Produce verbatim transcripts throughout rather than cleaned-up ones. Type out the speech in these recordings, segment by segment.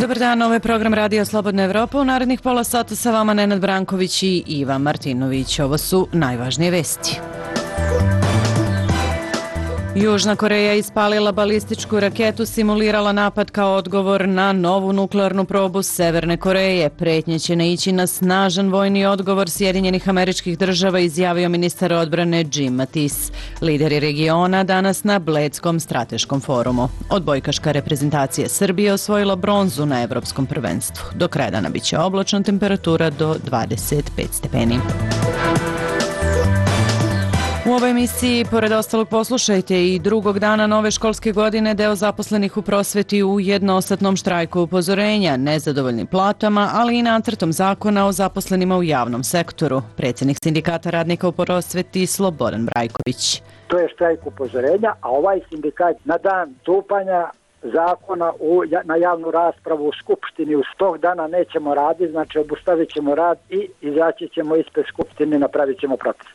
Dobar dan, ovo je program Radio Slobodna Evropa. U narednih pola sata sa vama Nenad Branković i Ivan Martinović. Ovo su najvažnije vesti. Južna Koreja ispalila balističku raketu, simulirala napad kao odgovor na novu nuklearnu probu Severne Koreje. Pretnje će naići na snažan vojni odgovor Sjedinjenih Američkih Država, izjavio ministar odbrane Jim Mattis. Lideri regiona danas na Bledskom strateškom forumu. Odbojkaška reprezentacija Srbije osvojila bronzu na Evropskom prvenstvu. Do kraja dana biće oblačno, temperatura do dvadeset pet stepeni. U ovoj emisiji, pored ostalog, poslušajte i drugog dana nove školske godine deo zaposlenih u prosveti u jednosatnom štrajku upozorenja, nezadovoljnim platama, ali i nacrtom zakona o zaposlenima u javnom sektoru. Predsjednik sindikata radnika u prosveti Slobodan Brajković. To je štrajk upozorenja, a ovaj sindikat na dan stupanja zakona u, na javnu raspravu u Skupštini uz tog dana nećemo raditi, znači obustavit ćemo rad i izaći ćemo ispred Skupštine i napravit ćemo protest.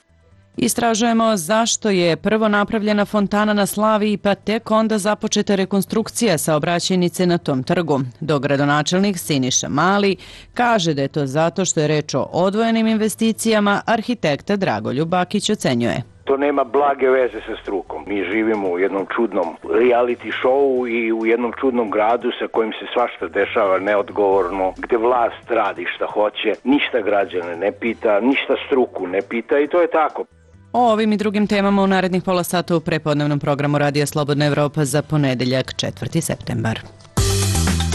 Istražujemo zašto je prvo napravljena fontana na Slaviji, pa tek onda započeta rekonstrukcija saobraćajnice na tom trgu. Dogradonačelnik Siniša Mali kaže da je to zato što je reč o odvojenim investicijama, arhitekta Dragoljub Bakić ocenjuje. To nema blage veze sa strukom. Mi živimo u jednom čudnom reality showu i u jednom čudnom gradu sa kojim se svašta dešava neodgovorno, gde vlast radi šta hoće, ništa građane ne pita, ništa struku ne pita i to je tako. O ovim i drugim temama u narednih pola sata u prepodnevnom programu Radija Slobodna Evropa za ponedeljak četvrti septembar.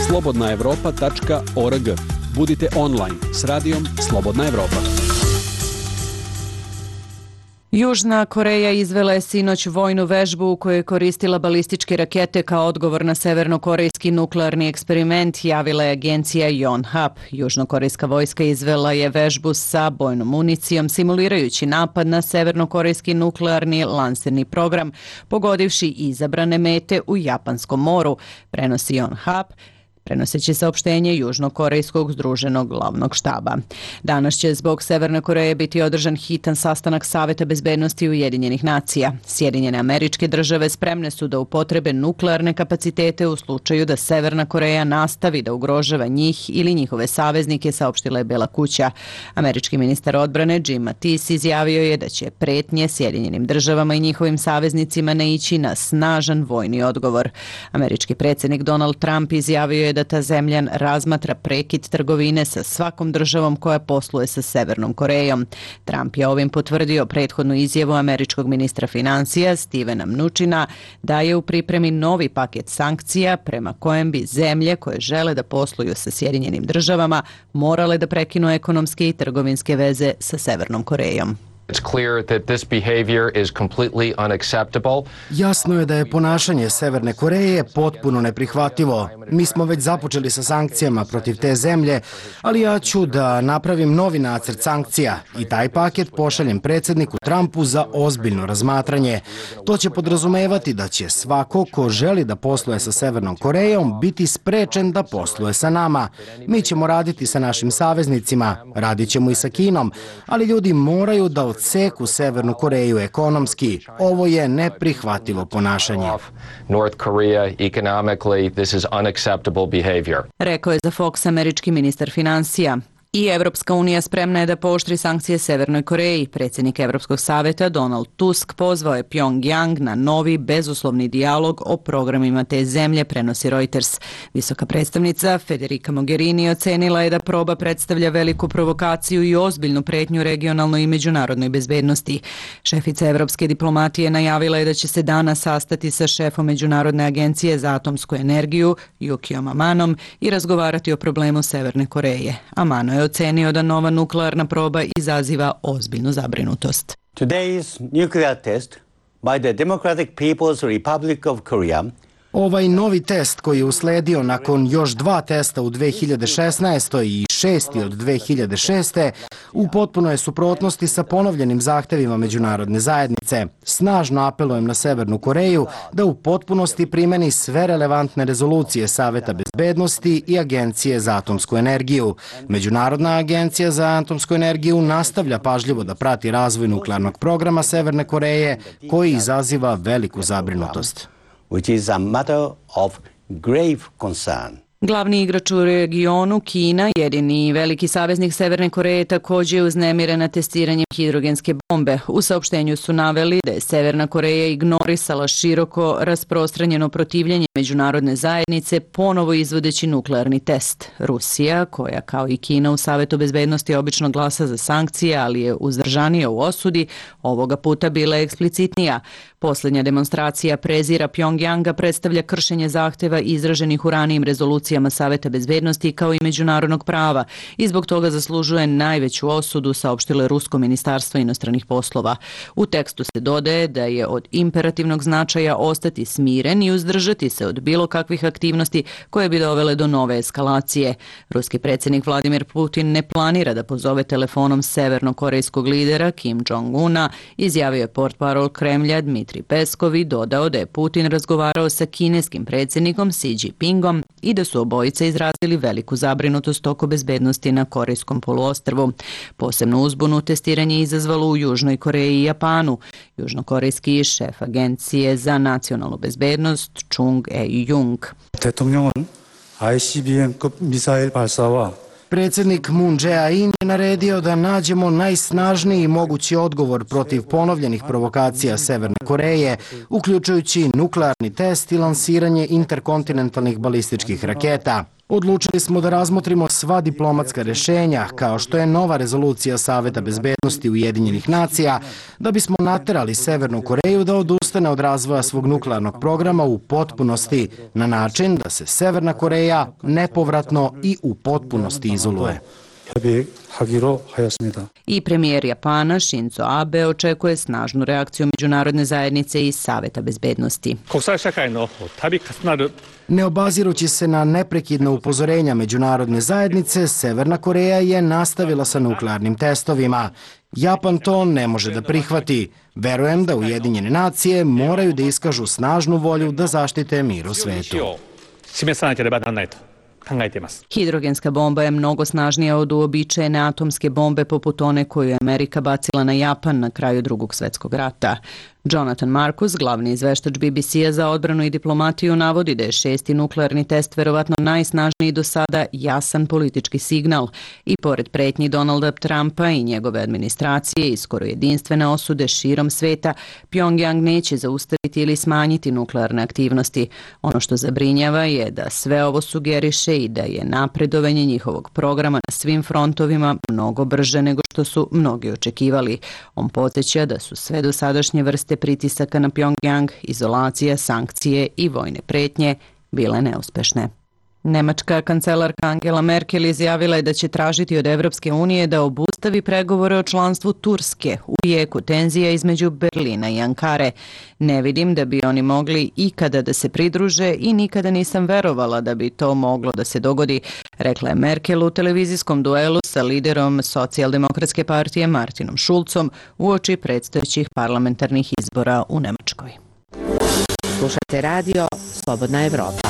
slobodna evropa tačka org. Budite online s radijom Slobodna Evropa. Južna Koreja izvela je sinoć vojnu vežbu u kojoj je koristila balističke rakete kao odgovor na severnokorejski nuklearni eksperiment, javila je agencija Yonhap. Južnokorejska vojska izvela je vežbu sa bojnom municijom, simulirajući napad na severnokorejski nuklearni lansirni program, pogodivši izabrane mete u Japanskom moru, prenosi Yonhap, prenoseći saopštenje Južnokorejskog združenog glavnog štaba. Danas će zbog Severne Koreje biti održan hitan sastanak Saveta bezbednosti Ujedinjenih nacija. Sjedinjene Američke Države spremne su da upotrebe nuklearne kapacitete u slučaju da Severna Koreja nastavi da ugrožava njih ili njihove saveznike, saopštila je Bela kuća. Američki ministar odbrane Jim Mattis izjavio je da će pretnje Sjedinjenim Državama i njihovim saveznicima naići na snažan vojni odgovor. Američki predsjednik Donald Trump izjavio je da ta zemlja razmatra prekid trgovine sa svakom državom koja posluje sa Severnom Korejom. Trump je ovim potvrdio prethodnu izjavu američkog ministra financija Stevena Mnučina da je u pripremi novi paket sankcija prema kojem bi zemlje koje žele da posluju sa Sjedinjenim Državama morale da prekinu ekonomske i trgovinske veze sa Severnom Korejom. It's clear that this behavior is completely unacceptable. Jasno je da je ponašanje Severne Koreje potpuno neprihvatljivo. Mi smo već započeli sa sankcijama protiv te zemlje, ali ja ću da napravim novi nacrt sankcija i taj paket pošaljem predsjedniku Trumpu za ozbiljno razmatranje. To će podrazumevati da će svako ko želi da posluje sa Severnom Korejom biti sprečen da posluje sa nama. Mi ćemo raditi sa našim saveznicima, radit ćemo i sa Kinom, ali ljudi moraju da odseku Severnu Koreju ekonomski. Ovo je neprihvatljivo ponašanje. North Korea economically, this is unacceptable behavior. Rekao je za Fox američki ministar financija. I Evropska unija spremna je da pooštri sankcije Severnoj Koreji. Predsjednik Evropskog saveta Donald Tusk pozvao je Pyongyang na novi bezuslovni dijalog o programima te zemlje, prenosi Reuters. Visoka predstavnica Federica Mogherini ocenila je da proba predstavlja veliku provokaciju i ozbiljnu pretnju regionalnoj i međunarodnoj bezbednosti. Šefica evropske diplomatije najavila je da će se danas sastati sa šefom Međunarodne agencije za atomsku energiju Yukijom Amanom i razgovarati o problemu Severne Koreje. Amano je ocenio da nova nuklearna proba izaziva ozbiljnu zabrinutost. Today's nuclear test by the Democratic People's Republic of Korea. Ovaj novi test koji je usledio nakon još dva testa u dve hiljade šesnaestoj i šesti od dve hiljade šeste u potpunoj je suprotnosti sa ponovljenim zahtevima međunarodne zajednice. Snažno apelujem na Severnu Koreju da u potpunosti primeni sve relevantne rezolucije Saveta bezbednosti i Agencije za atomsku energiju. Međunarodna agencija za atomsku energiju nastavlja pažljivo da prati razvoj nuklearnog programa Severne Koreje koji izaziva veliku zabrinutost. Which is a matter of grave concern. Glavni igrač u regionu, Kina, jedini veliki saveznik Severne Koreje, također je uznemirena testiranjem hidrogenske bombe. U saopštenju su naveli da je Severna Koreja ignorisala široko rasprostranjeno protivljenje međunarodne zajednice, ponovo izvodeći nuklearni test. Rusija, koja kao i Kina u Savetu bezbednosti obično glasa za sankcije, ali je uzdržanija u osudi, ovoga puta bila je eksplicitnija. Posljednja demonstracija prezira Pjongjanga predstavlja kršenje zahteva izraženih u ranijim rezolucijama Saveta bezbednosti kao i međunarodnog prava i zbog toga zaslužuje najveću osudu, saopštilo je Rusko ministarstvo inostranih poslova. U tekstu se dodaje da je od imperativnog značaja ostati smiren i uzdržati se od bilo kakvih aktivnosti koje bi dovele do nove eskalacije. Ruski predsjednik Vladimir Putin ne planira da pozove telefonom severnokorejskog lidera Kim Jong-una, izjavio je portparol Kremlja Dmitri Peskov i dodao da je Putin razgovarao sa kineskim predsjednikom Xi Jinpingom i da su obojice izrazili veliku zabrinutost oko bezbednosti na Korejskom poluostrvu. Posebno uzbunu testiranje izazvalo u Južnoj Koreji i Japanu. Južnokorejski šef Agencije za nacionalnu bezbednost Chung E-jung. 대통령은 아이씨비엠급 미사일 발사와 Predsjednik Moon Jae-in je naredio da nađemo najsnažniji mogući odgovor protiv ponovljenih provokacija Severne Koreje, uključujući nuklearni test i lansiranje interkontinentalnih balističkih raketa. Odlučili smo da razmotrimo sva diplomatska rješenja, kao što je nova rezolucija Saveta bezbednosti Ujedinjenih nacija, da bismo naterali Severnu Koreju da odustane od razvoja svog nuklearnog programa u potpunosti, na način da se Severna Koreja nepovratno i u potpunosti izoluje. I premijer Japana Shinzo Abe očekuje snažnu reakciju međunarodne zajednice i Saveta bezbednosti. Ne obazirući se na neprekidna upozorenja međunarodne zajednice, Severna Koreja je nastavila sa nuklearnim testovima. Japan to ne može da prihvati. Verujem da Ujedinjene nacije moraju da iskažu snažnu volju da zaštite mir u svetu. Hidrogenska bomba je mnogo snažnija od uobičajene atomske bombe poput one koju je Amerika bacila na Japan na kraju Drugog svjetskog rata. Jonathan Marcus, glavni izveštač B B C-a za odbranu i diplomatiju, navodi da je šesti nuklearni test verovatno najsnažniji do sada jasan politički signal i pored pretnji Donalda Trumpa i njegove administracije i skoro jedinstvene osude širom sveta, Pjongjang neće zaustaviti ili smanjiti nuklearne aktivnosti. Ono što zabrinjava je da sve ovo sugeriše i da je napredovanje njihovog programa na svim frontovima mnogo brže nego što su mnogi očekivali. On podsjeća da su sve dosadašnje vrste pritisaka na Pjongjang, izolacija, sankcije i vojne pretnje bile neuspešne. Nemačka kancelarka Angela Merkel izjavila je da će tražiti od Evropske unije da obustavi pregovore o članstvu Turske u jeku tenzija između Berlina i Ankare. Ne vidim da bi oni mogli ikada da se pridruže i nikada nisam verovala da bi to moglo da se dogodi, rekla je Merkel u televizijskom duelu sa liderom Socijaldemokratske partije Martinom Schulzom uoči predstojećih parlamentarnih izbora u Nemačkoj. Slušajte radio Slobodna Evropa.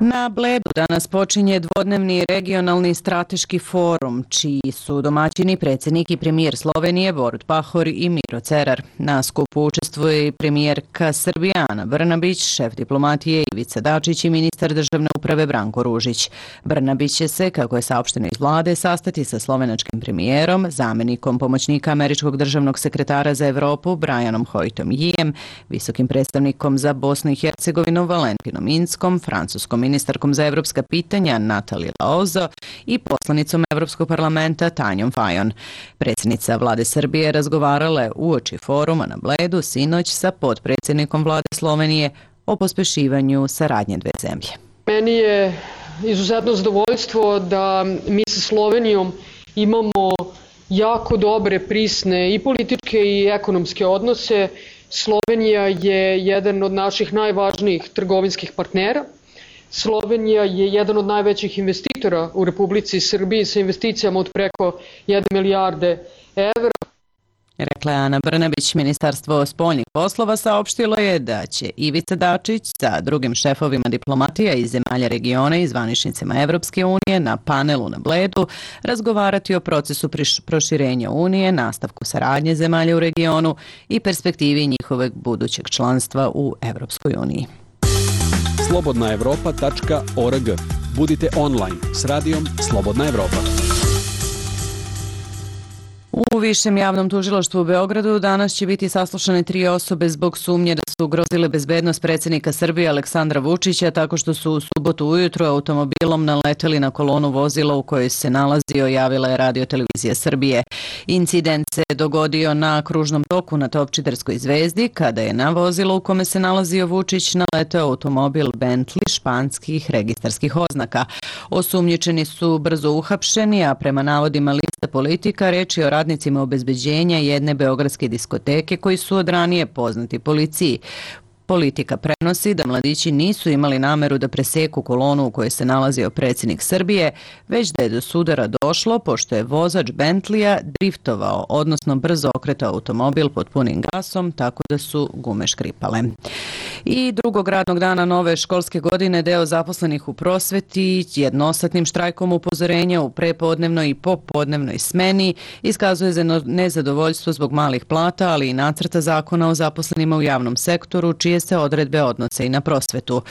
Na Bledu danas počinje dvodnevni regionalni strateški forum, čiji su domaćini predsjednik i premijer Slovenije Borut Pahor i Miro Cerar. Na skupu učestvuje i premijerka Srbije Ana Brnabić, šef diplomatije Ivica Dačić i ministar državne uprave Branko Ružić. Brnabić će se, kako je saopšteno iz vlade, sastati sa slovenačkim premijerom, zamenikom pomoćnika američkog državnog sekretara za Evropu Brianom Hoytom Yijem, visokim predstavnikom za Bosnu i Hercegovinu Valentinom Inskom, francuskom ministarkom za evropska pitanja Natalija Laozo i poslanicom Evropskog parlamenta Tanjom Fajon. Predsjednica vlade Srbije razgovarala je uoči foruma na Bledu sinoć sa potpredsjednikom vlade Slovenije o pospešivanju saradnje dve zemlje. Meni je izuzetno zadovoljstvo da mi sa Slovenijom imamo jako dobre, prisne i političke i ekonomske odnose. Slovenija je jedan od naših najvažnijih trgovinskih partnera. Slovenija je jedan od najvećih investitora u Republici Srbiji sa investicijama od preko jedne milijarde evra. Rekla je Ana Brnabić. Ministarstvo spoljnih poslova saopštilo je da će Ivica Dačić sa drugim šefovima diplomatija iz zemalja regiona i zvaničnicima Evropske unije na panelu na Bledu razgovarati o procesu proširenja Unije, nastavku saradnje zemalja u regionu i perspektivi njihovog budućeg članstva u Evropskoj uniji. slobodna evropa tačka org. Budite online s radijom Slobodna Evropa. U Višem javnom tužilaštvu u Beogradu danas će biti saslušane tri osobe zbog sumnje da su ugrozile bezbednost predsjednika Srbije Aleksandra Vučića tako što su u subotu ujutro automobilom naleteli na kolonu vozila u kojoj se nalazio, javila je Radio-televizija Srbije. Incident se dogodio na kružnom toku na Topčiderskoj zvezdi kada je na vozilo u kome se nalazio Vučić naleteo automobil Bentley španskih registarskih oznaka. Osumnjičeni su brzo uhapšeni, a prema navodima Lista Politika reč je o radnicima obezbeđenja jedne beogradske diskoteke koji su od ranije poznati policiji. Politika prenosi da mladići nisu imali nameru da preseku kolonu u kojoj se nalazio predsjednik Srbije, već da je do sudara došlo pošto je vozač Bentleya driftovao, odnosno brzo okretao automobil pod punim gasom, tako da su gume škripale. I drugog radnog dana nove školske godine deo zaposlenih u prosveti jednosatnim štrajkom upozorenja u prepodnevnoj i popodnevnoj smeni iskazuje za nezadovoljstvo zbog malih plata, ali i nacrta zakona o zaposlenima u javnom sektoru, čije se odredbe odnose i na prosvetu.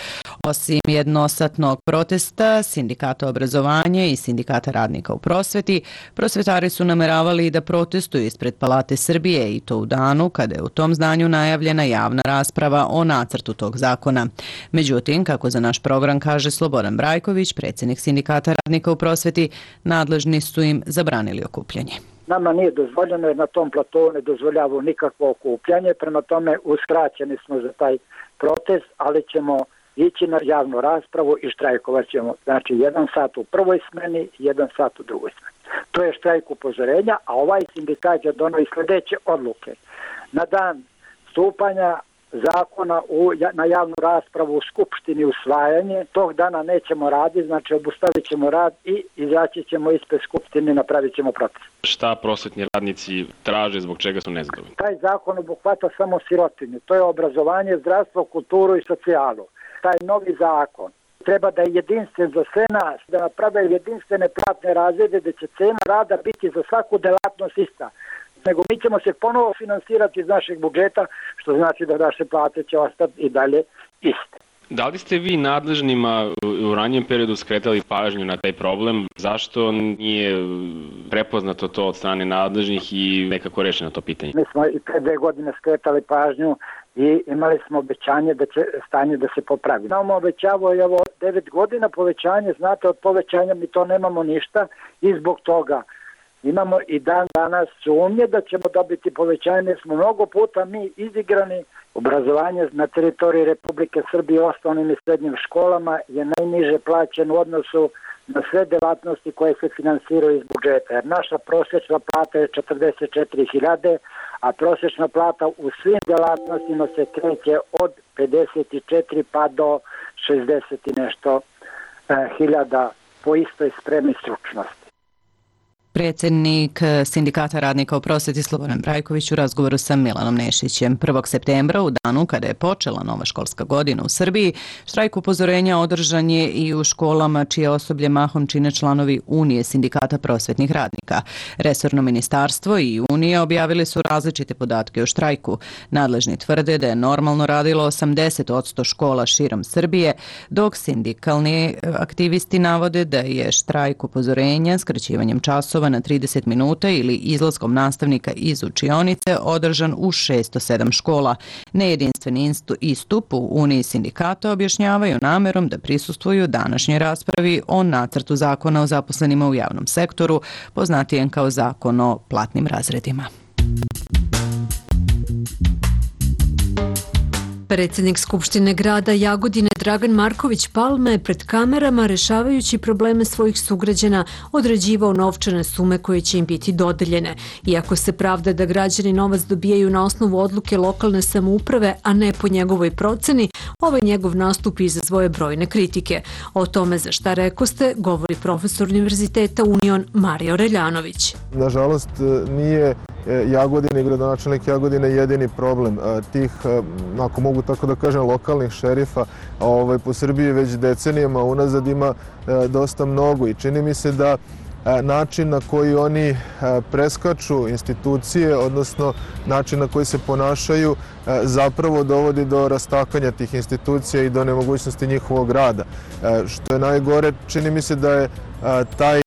Osim jednosatnog protesta, Sindikata obrazovanja i Sindikata radnika u prosveti, prosvetari su nameravali da protestuju ispred Palate Srbije i to u danu kada je u tom zdanju najavljena javna rasprava o nacrtu tog zakona. Međutim, kako za naš program kaže Slobodan Brajković, predsjednik Sindikata radnika u prosveti, nadležni su im zabranili okupljanje. Nama nije dozvoljeno jer na tom platovu ne dozvoljava nikakvo okupljanje, prema tome uskraćeni smo za taj protest, ali ćemo ići na javnu raspravu i štrajkovat ćemo. Znači jedan sat u prvoj smeni, jedan sat u drugoj smeni. To je štrajk upozorenja, a ovaj sindikat je donio i sljedeće odluke. Na dan stupanja zakona u, na javnu raspravu u Skupštini usvajanje, tog dana nećemo raditi, znači obustavit ćemo rad i izaći ćemo ispred Skupštine i napravit ćemo protest. Šta prosvetni radnici traže, zbog čega su nezadovoljni? Taj zakon obuhvata samo sirotinju, to je obrazovanje, zdravstvo, kulturu i socijalu. Taj novi zakon treba da je jedinstven za sve nas, da naprave jedinstvene platne razrede gdje će cena rada biti za svaku delatnost ista. Nego mi ćemo se ponovo finansirati iz našeg budžeta, što znači da naše plate će ostati i dalje iste. Da li ste vi nadležnima u ranijem periodu skretali pažnju na taj problem? Zašto nije prepoznato to od strane nadležnih i nekako rešeno to pitanje? Mi smo i pre dve godine skretali pažnju i imali smo obećanje da će stanje da se popravi. Nam obećavo je ovo devet godina povećanje, znate od povećanja mi to nemamo ništa i zbog toga imamo i dan danas sumnje da ćemo dobiti povećanje, smo mnogo puta mi izigrani. Obrazovanje na teritoriji Republike Srbije u osnovnim i srednjim školama je najniže plaćen u odnosu na sve delatnosti koje se finansiraju iz budžeta. Jer naša prosječna plata je četrdeset četiri hiljade, a prosječna plata u svim delatnostima se kreće od pedeset četiri pa do šezdeset i nešto hiljada po istoj spremi stručnosti. Predsjednik Sindikata radnika u prosveti Slobodan Brajković u razgovoru sa Milanom Nešićem. prvog septembra, u danu kada je počela nova školska godina u Srbiji, štrajk upozorenja održan je i u školama čije osoblje mahom čine članovi Unije Sindikata prosvetnih radnika. Resorno ministarstvo i Unije objavili su različite podatke o štrajku. Nadležni tvrde da je normalno radilo osamdeset posto škola širom Srbije, dok sindikalni aktivisti navode da je štrajk upozorenja skraćivanjem časova na trideset minuta ili izlaskom nastavnika iz učionice održan u šesto sedam škola. Nejedinstveni istup u Uniji sindikata objašnjavaju namerom da prisustvuju današnjoj raspravi o nacrtu zakona o zaposlenima u javnom sektoru, poznatijem kao zakon o platnim razredima. Predsjednik Skupštine grada Jagodine Dragan Marković Palma je pred kamerama, rešavajući probleme svojih sugrađana, određivao novčane sume koje će im biti dodeljene. Iako se pravda da građani novac dobijaju na osnovu odluke lokalne samouprave, a ne po njegovoj proceni, ovaj njegov nastup izazvoje brojne kritike. O tome za šta rekoste govori profesor Univerziteta Union Mario Reljanović. Nažalost, nije Jagodina i gradonačelnik Jagodine jedini problem tih, ako mogu tako da kažem, lokalnih šerifa ovaj, po Srbiji već decenijama unazad ima dosta mnogo i čini mi se da način na koji oni preskaču institucije, odnosno način na koji se ponašaju, zapravo dovodi do rastakanja tih institucija i do nemogućnosti njihovog rada. Što je najgore, čini mi se da je taj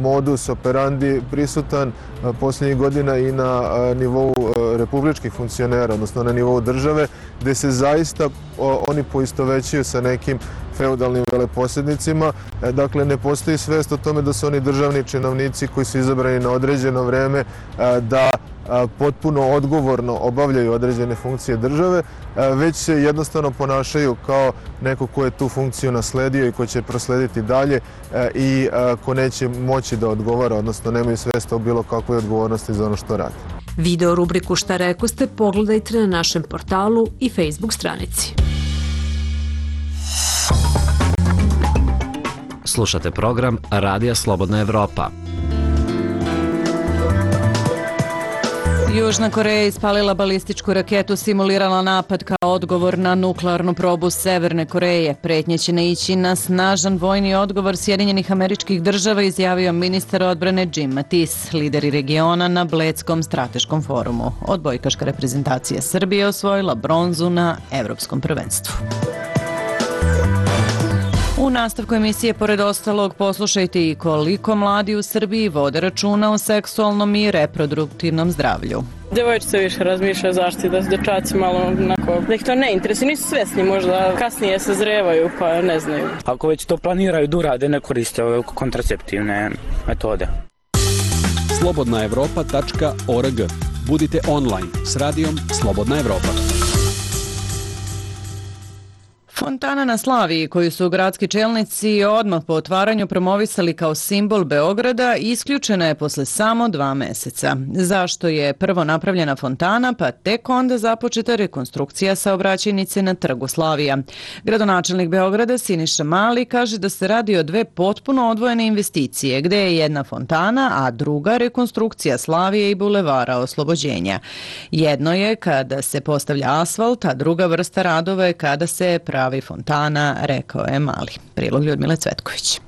modus operandi prisutan posljednjih godina i na nivou republičkih funkcionera, odnosno na nivou države, gde se zaista oni poistovećuju sa nekim feudalnim veleposjednicima. Dakle, ne postoji svest o tome da su oni državni činovnici koji su izabrani na određeno vreme da potpuno odgovorno obavljaju određene funkcije države, već se jednostavno ponašaju kao neko ko je tu funkciju nasledio i ko će proslediti dalje i ko neće moći da odgovara, odnosno nemaju svesta o bilo kakvoj odgovornosti za ono što radi. Video rubriku Šta reko ste pogledajte na našem portalu i Facebook stranici. Slušate program Radija Slobodna Evropa. Južna Koreja ispalila balističku raketu, simulirala napad kao odgovor na nuklearnu probu Severne Koreje. Pretnje će naići na snažan vojni odgovor Sjedinjenih Američkih Država, izjavio ministar odbrane Jim Mattis. Lideri regiona na Bledskom strateškom forumu. Odbojkaška reprezentacija Srbije osvojila bronzu na Evropskom prvenstvu. U nastavku emisije, pored ostalog, poslušajte i koliko mladi u Srbiji vode računa o seksualnom i reproduktivnom zdravlju. Devojčice više razmišljaju zaštiti, da se dečaci malo onako, da ih to ne interesuje, nisu svesni, možda kasnije se zrevaju pa ne znaju. Ako već to planiraju da urade, ne koriste ove kontraceptivne metode. slobodna evropa tačka org. Budite online s radijom Slobodna Evropa. Fontana na Slaviji, koju su gradski čelnici odmah po otvaranju promovisali kao simbol Beograda, isključena je posle samo dva meseca. Zašto je prvo napravljena fontana, pa tek onda započeta rekonstrukcija saobraćajnice na Trgu Slavija? Gradonačelnik Beograda Siniša Mali kaže da se radi o dve potpuno odvojene investicije, gde je jedna fontana, a druga rekonstrukcija Slavije i Bulevara Oslobođenja. Jedno je kada se postavlja asfalt, a druga vrsta radova je kada se pravi fontana, rekao je Mali. Prilog Ljudmile Cvetković.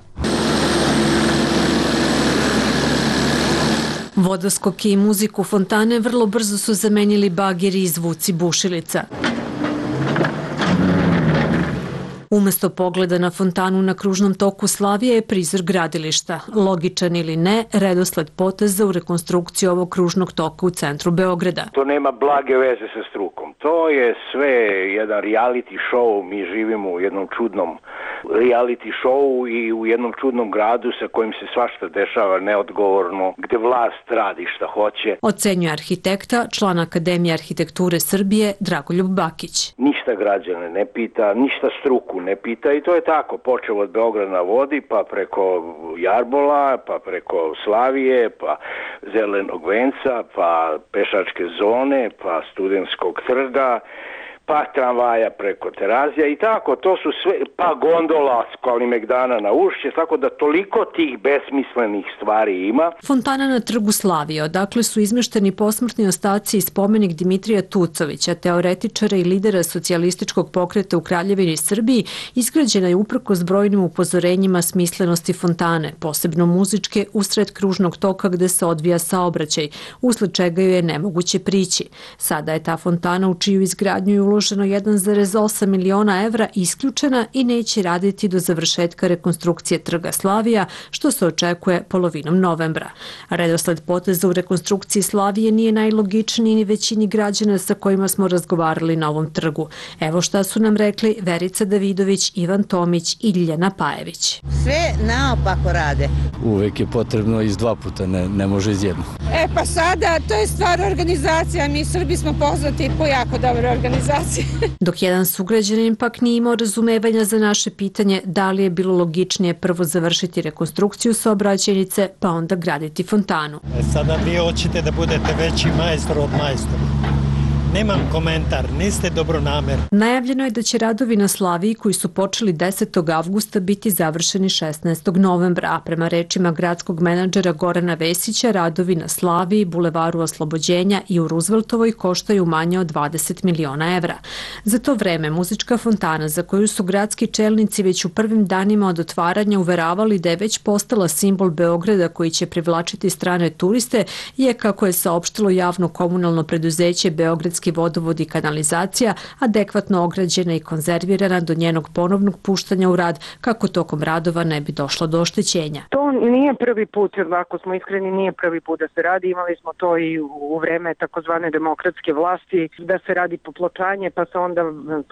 Vodoskoke i muziku fontane vrlo brzo su zamenili bageri i zvuci bušilica. Umesto pogleda na fontanu na kružnom toku Slavije je prizor gradilišta. Logičan ili ne, redosled poteza u rekonstrukciji ovog kružnog toka u centru Beograda. To nema blage veze sa strukom. To je sve jedan reality show. Mi živimo u jednom čudnom reality show i u jednom čudnom gradu sa kojim se svašta dešava neodgovorno, gde vlast radi šta hoće. Ocenjuje arhitekta, član Akademije arhitekture Srbije, Dragoljub Bakić. Ništa građane ne pita, ništa struku ne pita i to je tako. Počeo od Beograda na vodi, pa preko Jarbola, pa preko Slavije, pa Zelenog venca, pa pešačke zone, pa Studentskog trga, pa tramvaja preko Terazija i tako, to su sve, pa gondola s Kalimegdana na Ušće, tako da toliko tih besmislenih stvari ima. Fontana na Trgu Slavije, odakle su izmešteni posmrtni ostaci i spomenik Dimitrija Tucovića, teoretičara i lidera socijalističkog pokreta u Kraljevini i Srbiji, izgrađena je uprkos brojnim upozorenjima smislenosti fontane, posebno muzičke, usred kružnog toka gde se odvija saobraćaj, usled čega joj je nemoguće prići. Sada je ta fontana u čiju izgradnju je uloženo jedan zarez osam miliona evra isključena i neće raditi do završetka rekonstrukcije Trga Slavija, što se očekuje polovinom novembra. Redosled poteza u rekonstrukciji Slavije nije najlogičniji ni većini građana sa kojima smo razgovarali na ovom trgu. Evo šta su nam rekli Verica Davidović, Ivan Tomić i Ljiljana Pajević. Sve naopako rade. Uvek je potrebno iz dva puta, ne, ne može iz jedno. E pa sada, to je stvar organizacija, mi Srbi smo poznati po jako dobre organizacije. Dok jedan sugrađanin pak nije imao razumevanja za naše pitanje da li je bilo logičnije prvo završiti rekonstrukciju saobraćajnice pa onda graditi fontanu. E sada vi hoćete da budete veći majstor od majstora. Nemam komentar, niste dobronamerni. Najavljeno je da će radovi na Slaviji koji su počeli desetog avgusta biti završeni šesnaestog novembra, a prema rečima gradskog menadžera Gorana Vesića, radovi na Slaviji, Bulevaru Oslobođenja i u Rooseveltovoj koštaju manje od dvadeset miliona evra. Za to vreme muzička fontana, za koju su gradski čelnici već u prvim danima od otvaranja uveravali da je već postala simbol Beograda koji će privlačiti strane turiste, je, kako je saopštilo javno komunalno preduzeće Beogradski vodovod i kanalizacija, adekvatno ograđena i konzervirana do njenog ponovnog puštanja u rad, kako tokom radova ne bi došlo do oštećenja. To nije prvi put, ako smo iskreni, nije prvi put da se radi. Imali smo to i u vreme takozvane demokratske vlasti, da se radi popločanje, pa se onda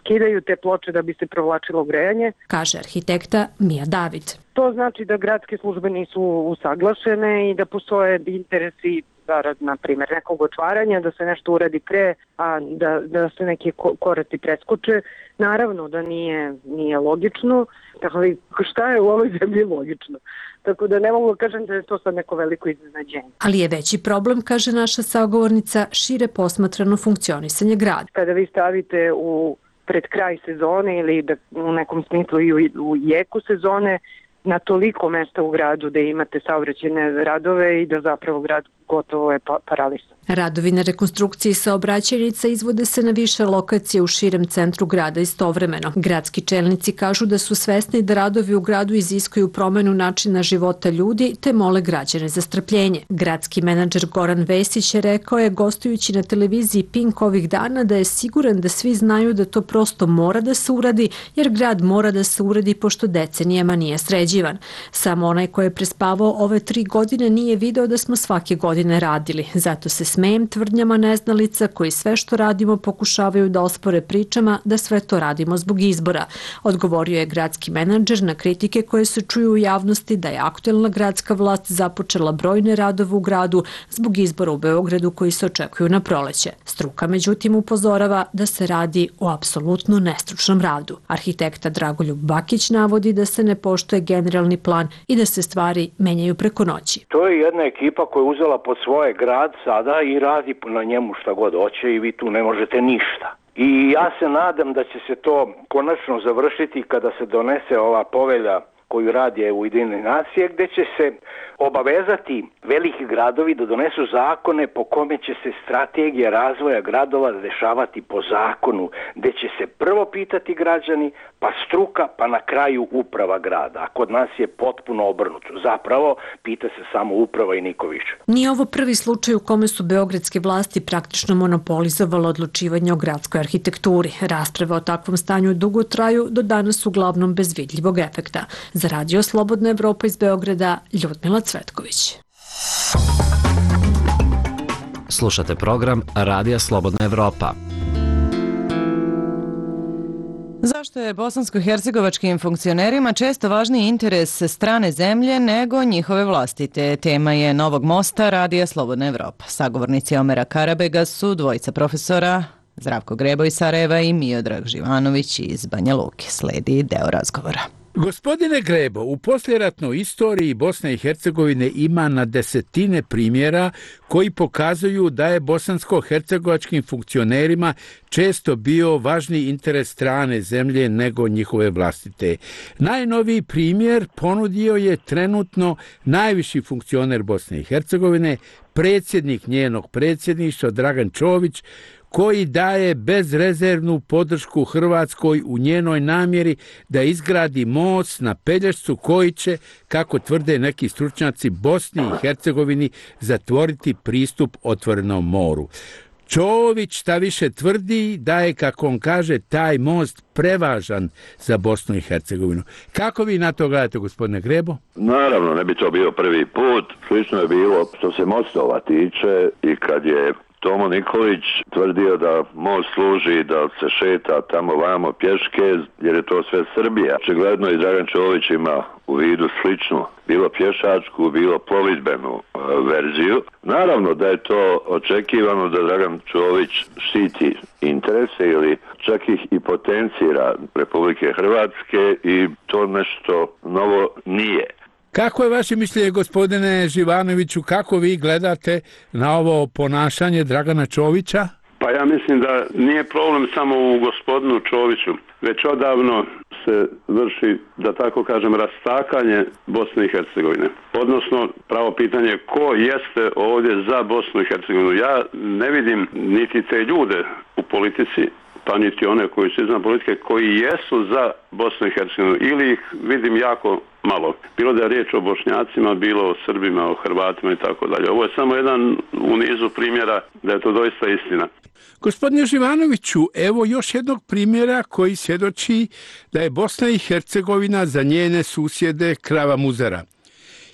skidaju te ploče da bi se provlačilo grejanje. Kaže arhitekta Mija David. To znači da gradske službe nisu usaglašene i da postoje interesi zarad, na primjer, nekog otvaranja, da se nešto uradi pre, a da, da se neki koraci preskoče. Naravno da nije, nije logično, ali šta je u ovoj zemlji logično? Tako da ne mogu kažem da je to sad neko veliko iznenađenje. Ali je veći problem, kaže naša sagovornica, šire posmatrano funkcionisanje grada. Kada vi stavite u pred kraj sezone ili da u nekom smislu i u, u jeku sezone, na toliko mesta u gradu da imate saobraćajne radove i da zapravo grad gotovo je paralisan. Radovi na rekonstrukciji saobraćajnica izvode se na više lokacije u širem centru grada istovremeno. Gradski čelnici kažu da su svesni da radovi u gradu iziskuju promenu načina života ljudi, te mole građane za strpljenje. Gradski menadžer Goran Vesić je rekao je, gostujući na televiziji Pink ovih dana, da je siguran da svi znaju da to prosto mora da se uradi, jer grad mora da se uradi pošto decenijama nije sređivan. Samo onaj ko je prespavao ove tri godine nije video da smo svake godine radili. Zato se smejem tvrdnjama neznalica koji sve što radimo pokušavaju da ospore pričama da sve to radimo zbog izbora. Odgovorio je gradski menadžer na kritike koje se čuju u javnosti da je aktuelna gradska vlast započela brojne radove u gradu zbog izbora u Beogradu koji se očekuju na proleće. Struka međutim upozorava da se radi o apsolutno nestručnom radu. Arhitekta Dragoljub Bakić navodi da se ne poštuje generalni plan i da se stvari menjaju preko noći. To je jedna ekipa koja je uzela pod svoje grad sada i radi na njemu šta god hoće i vi tu ne možete ništa. I ja se nadam da će se to konačno završiti kada se donese ova povelja koju radi Ujedinjene nacije, gde će se obavezati veliki gradovi da donesu zakone po kome će se strategija razvoja gradova dešavati po zakonu, gde će se prvo pitati građani, pa struka, pa na kraju uprava grada. A kod nas je potpuno obrnuto. Zapravo, pita se samo uprava i niko više. Nije ovo prvi slučaj u kome su beogradske vlasti praktično monopolizovale odlučivanje o gradskoj arhitekturi. Rasprave o takvom stanju dugo traju, do danas uglavnom bez vidljivog efekta. Za Radio Slobodna Evropa iz Beograda, Ljudmila Cvetković. Slušate program Radija Slobodna Evropa. Zašto je bosansko-hercegovačkim funkcionerima često važniji interes strane zemlje nego njihove vlastite? Tema je Novog mosta Radija Slobodna Evropa. Sagovornici Omera Karabega su dvojica profesora, Zdravko Grebo iz Sarajeva i Miodrag Živanović iz Banja Luke. Sledi deo razgovora. Gospodine Grebo, u posljeratnoj istoriji Bosne i Hercegovine ima na desetine primjera koji pokazuju da je bosansko-hercegovačkim funkcionerima često bio važniji interes strane zemlje nego njihove vlastite. Najnoviji primjer ponudio je trenutno najviši funkcioner Bosne i Hercegovine, predsjednik njenog predsjedništva Dragan Čović, koji daje bezrezervnu podršku Hrvatskoj u njenoj namjeri da izgradi most na Pelješcu koji će, kako tvrde neki stručnjaci, Bosni i Hercegovini zatvoriti pristup otvorenom moru. Čović šta više tvrdi da je, kako on kaže, taj most prevažan za Bosnu i Hercegovinu. Kako vi na to gledate, gospodine Grebo? Naravno, ne bi to bio prvi put. Slično je bilo što se mostova tiče i kad je Tomo Nikolić tvrdio da most služi da se šeta tamo vamo pješke, jer je to sve Srbija. Očigledno i Dragan Čović ima u vidu sličnu, bilo pješačku, bilo plovidbenu e, verziju. Naravno da je to očekivano da Dragan Čović štiti interese ili čak ih i potencira Republike Hrvatske i to nešto novo nije. Kako je vaše mišljenje, gospodine Živanoviću, kako vi gledate na ovo ponašanje Dragana Čovića? Pa ja mislim da nije problem samo u gospodinu Čoviću, već odavno se vrši, da tako kažem, rastakanje Bosne i Hercegovine. Odnosno, pravo pitanje ko jeste ovdje za Bosnu i Hercegovinu. Ja ne vidim niti te ljude u politici, pa niti one koji su izvan politike, koji jesu za Bosnu i Hercegovinu, ili ih vidim jako malo. Bilo da je riječ o Bošnjacima, bilo o Srbima, o Hrvatima i tako dalje. Ovo je samo jedan u nizu primjera da je to doista istina. Gospodine Živanoviću, evo još jednog primjera koji svjedoči da je Bosna i Hercegovina za njene susjede krava muzara.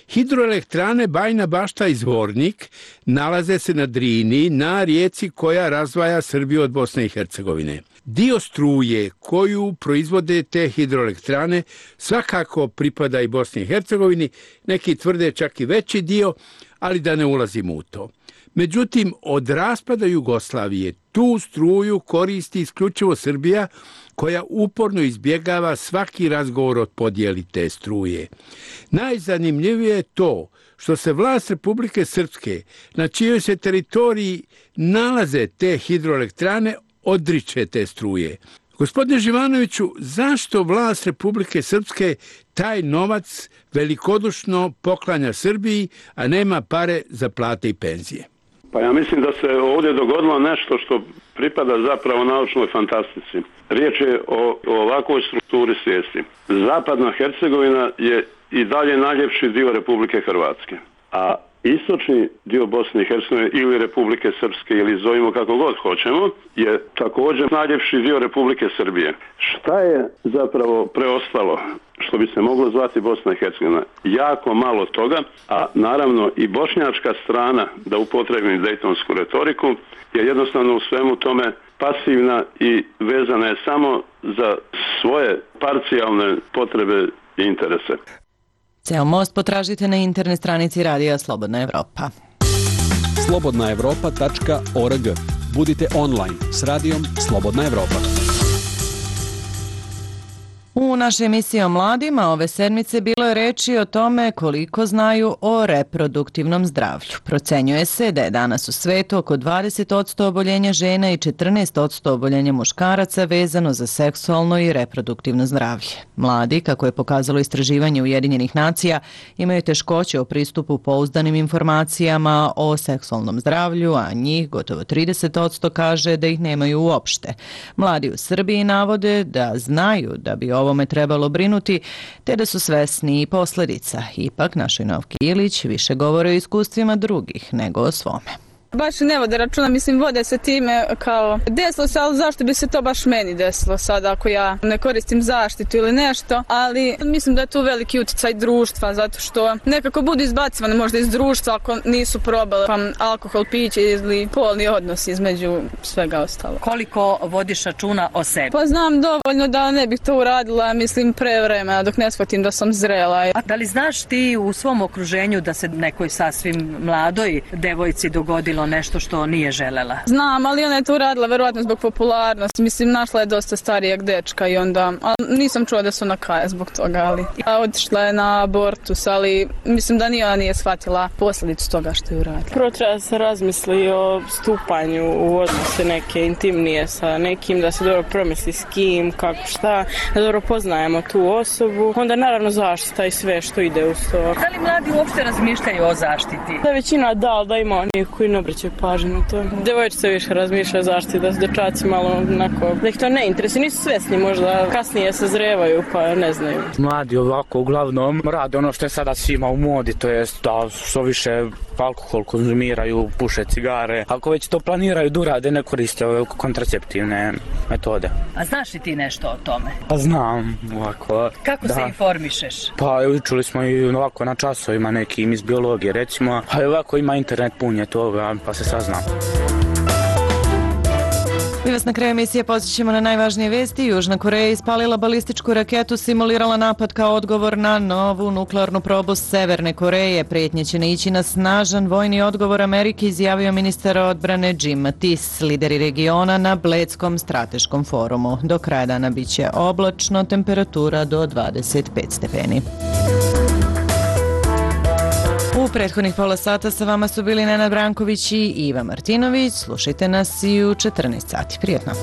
Hidroelektrane Bajina Bašta i Zvornik nalaze se na Drini, na rijeci koja razdvaja Srbiju od Bosne i Hercegovine. Dio struje koju proizvode te hidroelektrane svakako pripada i Bosni i Hercegovini, neki tvrde čak i veći dio, ali da ne ulazimo u to. Međutim, od raspada Jugoslavije tu struju koristi isključivo Srbija, koja uporno izbjegava svaki razgovor o podjeli te struje. Najzanimljivije je to što se vlast Republike Srpske, na čijoj se teritoriji nalaze te hidroelektrane, odriče te struje. Gospodine Živanoviću, zašto vlast Republike Srpske taj novac velikodušno poklanja Srbiji, a nema pare za plate i penzije? Pa ja mislim da se ovdje dogodilo nešto što pripada zapravo naučnoj fantastici. Riječ je o, o ovakvoj strukturi svijesti. Zapadna Hercegovina je i dalje najljepši dio Republike Hrvatske, a istočni dio Bosne i Hercegovine ili Republike Srpske, ili zovimo kako god hoćemo, je također najljepši dio Republike Srbije. Šta je zapravo preostalo što bi se moglo zvati Bosna i Hercegovina? Jako malo toga, a naravno i bošnjačka strana, da upotrebim dejtonsku retoriku, je jednostavno u svemu tome pasivna i vezana je samo za svoje parcijalne potrebe i interese. Ceo most potražite na internet stranici Radija Slobodna Evropa. slobodna evropa tačka org. Budite online s Radijom Slobodna Evropa. U našoj emisiji o mladima ove sedmice bilo je reči o tome koliko znaju o reproduktivnom zdravlju. Procenjuje se da je danas u svetu oko dvadeset posto oboljenja žena i četrnaest posto oboljenja muškaraca vezano za seksualno i reproduktivno zdravlje. Mladi, kako je pokazalo istraživanje Ujedinjenih nacija, imaju teškoće o pristupu pouzdanim informacijama o seksualnom zdravlju, a njih gotovo trideset posto kaže da ih nemaju uopšte. Mladi u Srbiji navode da znaju da bi ovome trebalo brinuti, te da su svesni i posljedica. Ipak, našoj Novki Ilić više govore o iskustvima drugih nego o svome. Baš ne vode računa, mislim, vode se time kao desilo se, ali zašto bi se to baš meni desilo sad ako ja ne koristim zaštitu ili nešto, ali mislim da je tu veliki utjecaj društva, zato što nekako budu izbacivane možda iz društva ako nisu probale pa alkohol, piće ili polni odnos između svega ostalo. Koliko vodiš računa o sebi? Pa znam dovoljno da ne bih to uradila, mislim, pre vremena dok ne shvatim da sam zrela. A da li znaš ti u svom okruženju da se nekoj sasvim mladoj devojci dogodilo nešto što nije želela? Znam, ali ona je to uradila verovatno zbog popularnosti. Mislim, našla je dosta starijeg dečka i onda, ali nisam čula da su ona kaje zbog toga, ali a otišla je na abortus, ali mislim da ni ona nije shvatila posljedicu toga što je uradila. Prvo treba da se razmisli o stupanju u odnose neke intimnije sa nekim, da se dobro promisli s kim, kako šta, da dobro poznajemo tu osobu, onda naravno zaštita i sve što ide uz to. Da li mladi uopšte razmišljaju o zaštiti? Da većina da, da ima onih koji ne obraćaju pažnju na to. Devojčice više razmišljaju zaštiti, da su dečaci malo onako, da ih to ne interesuje, nisu svesni, možda kasnije se zrevaju pa ne znaju. Mladi ovako uglavnom rade ono što je sada svima u modi, to jest da što više alkohol konzumiraju, puše cigare. Ako već to planiraju da urade, ne koriste ove kontraceptivne metode. A znaš li ti nešto o tome? Pa znam, ovako. Kako da. se informišeš? Pa učili smo i ovako na časovima nekim iz biologije, recimo, a ovako ima internet pun je toga, pa se saznam. Mi vas na kraju emisije podsjećamo na najvažnije vesti. Južna Koreja ispalila balističku raketu, simulirala napad kao odgovor na novu nuklearnu probu Severne Koreje. Prijetnje će naići na snažan vojni odgovor Amerike, izjavio ministar odbrane Jim Mattis. Lideri regiona na Bledskom strateškom forumu. Do kraja dana bit će oblačno, temperatura do dvadeset pet stepeni. U prethodnih pola sata sa vama su bili Nenad Branković i Iva Martinović. Slušajte nas i u četrnaest sati. Prijetno.